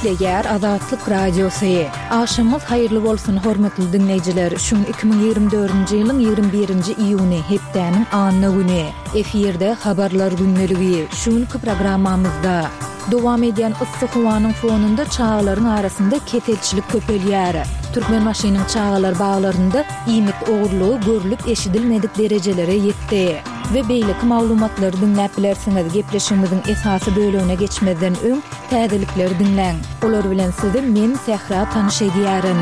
Gepleýär Azatlyk Radiosy. Agşamyňyz haýyrly bolsun, hormatly diňleýjiler! Şu gün 2024-nji ýylyň 21-nji iýuny, hepdäniň anna güni. Efirde Habarlar gündeligi. Şu günki programmamyzda. Dowam edýän yssy howanyň fonunda çagalaryň arasynda keselçilik köpelýär. Türkmenbaşynyň çagalar baglarynda iýmit ogurlygy görlüp-eşidilmedik derejelere ýetdi. We beýleki maglumatlary diňläp bilersiňiz. Gepleşigimiziň esasy bölegine geçmezden öň, täzelikleri diňläň. Olar bilen sizi men, Sähra tanyş edýärin.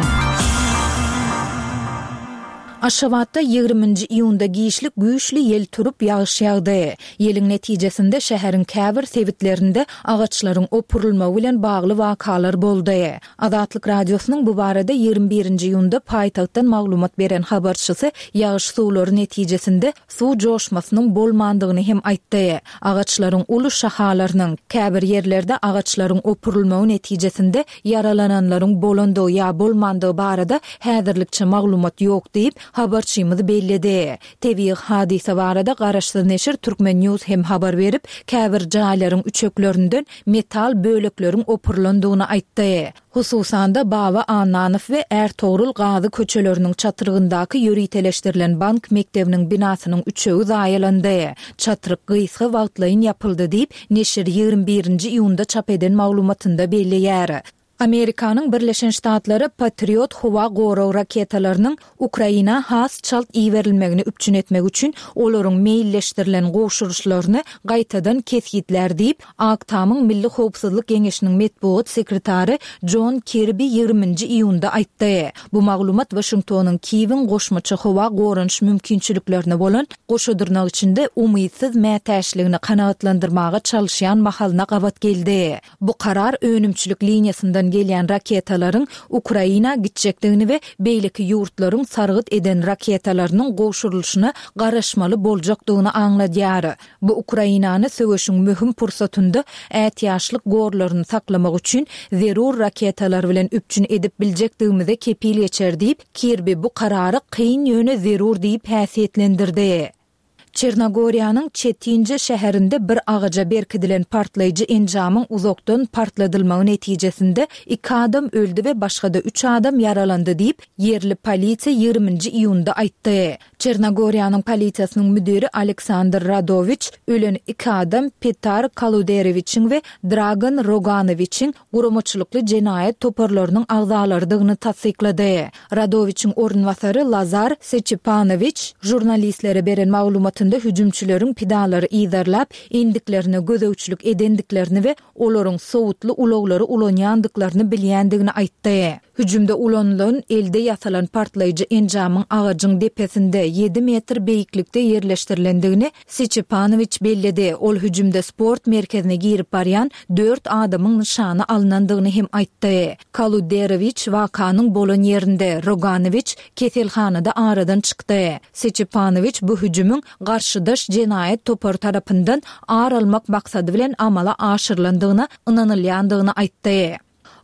Aşgabatda ýigriminji iýunda giçlik güýçli ýel turup, ýagyş ýagdy. Ýeliň netijesinde şäheriň käbir sebitlerinde agaçlaryň opurylmagy bilen bagly wakalar boldy. Azatlyk Radiosynyň bu barada 21-nji iýunda paýtagtdan maglumat beren habarçysy ýagyş suwlary netijesinde suw joşmasynyň bolmandygyny hem aýtdy. Agaçlaryň uly şahalarynyň, käbir ýerlerde agaçlaryň opurylmagy netijesinde ýaralananlaryň bolandygy ýa bolmandygy barada häzirlikçe maglumat ýok diýip, habarçymyz belledi. Tebigy hadysa barada garaşsyz neşir Turkmen News hem habar berip, käbir jaýlaryň üçeklerinden metal bölekleriň opurylandygyny aýtdy. Hususan-da, Baba Annanow we Ärtogrul Gazy köçeleriniň çatrygyndaky ýöriteleşdirilen bank mekdebiniň binasynyň üçegi zaýalandy. Çatryk gysga wagtlaýyn ýapyldy diýip, neşir 21-nji iýunda çap eden maglumatynda belleýär. Amerikanyň Birleşen Ştatlary Patriot howa gorag raketalarynyň Ukraina has çalt iberilmegini üpjün etmek üçin olaryň meýilleşdirilen gowşuryşlaryny gaýtadan kesgitlär diýip, Ak Tamyň Milli howpsuzlyk geňeşiniň metbugat sekretary Jon Kirbi ýigriminji iýunda aýtdy. Bu maglumat Waşingtonyň Kiýewiň goşmaça howa goranyş mümkinçiliklerine bolan goşa dyrnak içinde umytsyz mätäçligini kanagatlandyrmaga çalyşýan mahalyna gabat geldi. Bu karar önümçilik liniýasyndan gelýän raketalaryň Ukraina gitjekdigini we beýleki ýurtlaryň sargyt eden raketalarynyň gowşurylyşyna garaşmaly boljakdygyny aňladýar. Bu Ukrainany söweşiň möhüm pursatynda ätiýaçlyk gorlaryny saklamak üçin zerur raketalar bilen üpjün edip biljekdigimize kepil geçer diýip, Kirbi bu karary kyn ýöne zerur diýip häsiýetlendirdi. Çernogoriýanyň Çetinje şäherinde bir agaja berkidilen partlaýjy enjamyň uzakdan partladylmagy netijesinde iki adam öldi we başga-da üç adam ýaralandy diýip, ýerli polisiýa ýigriminji iýunda aýtdy. Çernogoriýanyň polisiýasynyň müdiri Aleksandr Radowiç ölen iki adam Petar Kaluderewiçiň we Dragan Roganowiçiň guramaçylykly jenaýat toparlarynyň agzalarydygyny tassyklady. Radowiçiň orunbasary Lazar Seçipanowiç žurnalistlere beren maglumatynda hüjümçileriň pidalary yzarlap, endiklerine gözegçilik edendiklerini we olaryň sowutly ulaglary ulanýandyklaryny bilýändigini aýtdy. Hüjümde ulanylan elde ýasalan partlaýjy enjamyň agajyň depesinde, ýedi metr beýiklikde ýerleşdirilendigini Seçepanowiç belledi. Ol hüjümde sport merkezine girip barýan dört adamyň nyşana alnandygyny hem aýtdy. Kaluderowiç wakanyň bolan ýerinde, Roganowiç keselhanada aradan çykdy. Seçepanowiç bu hüjümiň garşydaş jenaýat topary tarapyndan ar almak maksady bilen amala aşyrylandygyna ynanylýandygyny aýtdy.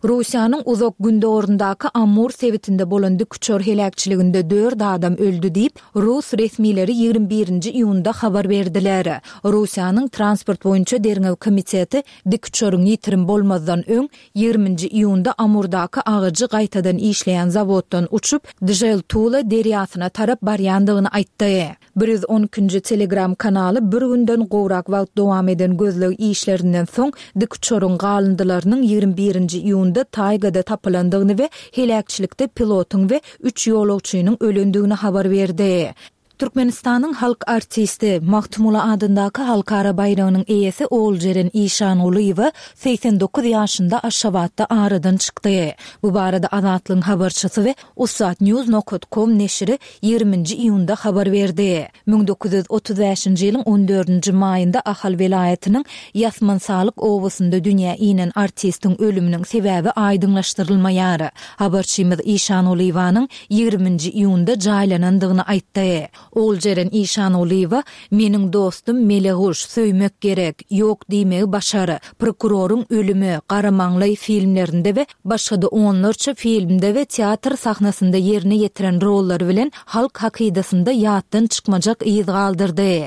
Russiýanyň Uzak Gündogaryndaky Amur sebitinde bolan dikuçar heläkçiliginde dört adam öldi diýip, rus resmileri 21-nji iýunda habar berdiler. Russiýanyň Transport boýunça derňew komiteti dikuçaryň ýitirim bolmazdan öň, ýigriminji iýunda Amurdaky agajy gaýtadan işleýän zawoddan uçup, Dzheltula derýasyna tarap barýandygyny aýtdy. 112-nji Telegram kanaly bir günden gowrak wagt dowam eden gözleg işlerinden soň dikuçaryň galyndylarynyň 21-nji iýunda taýgada tapylandygyny we heläkçilikde pilotyň we üç ýolagçynyň ölendigini habar berdi. Türkmenistanyň halk artisti, Magtymguly adyndaky halkara baýragynyň eýesi Oguljeren Işangulyýewa 89 ýaşynda Aşgabatda aradan çykdy. Bu barada Azatlygyň habarçysy we Ussatnews nokat kom neşiri ýigriminji iýunda habar berdi. 1935-nji ýylyň on dördünji maýynda Ahal welaýatynyň Ýasmansalyk obasynda dünýä inen artistiň ölüminiň sebäbi aýdyňlaşdyrylmaýar. Habarçymyz Işangulyýewanyň ýigriminji iýunda jaýlanandygyny aýtdy. Oguljeren Işangulyýewa Meniň dostum Meleguş, Söýmek gerek, Ýok diýmegi başar, Prokuroryň ölümi, Garamaňlaý filmlerinde we başga-da onlarça filmde we teatr sahnasynda ýerine ýetiren rollary bilen halk hakydasynda ýatdan çykmajak yz galdyrdy.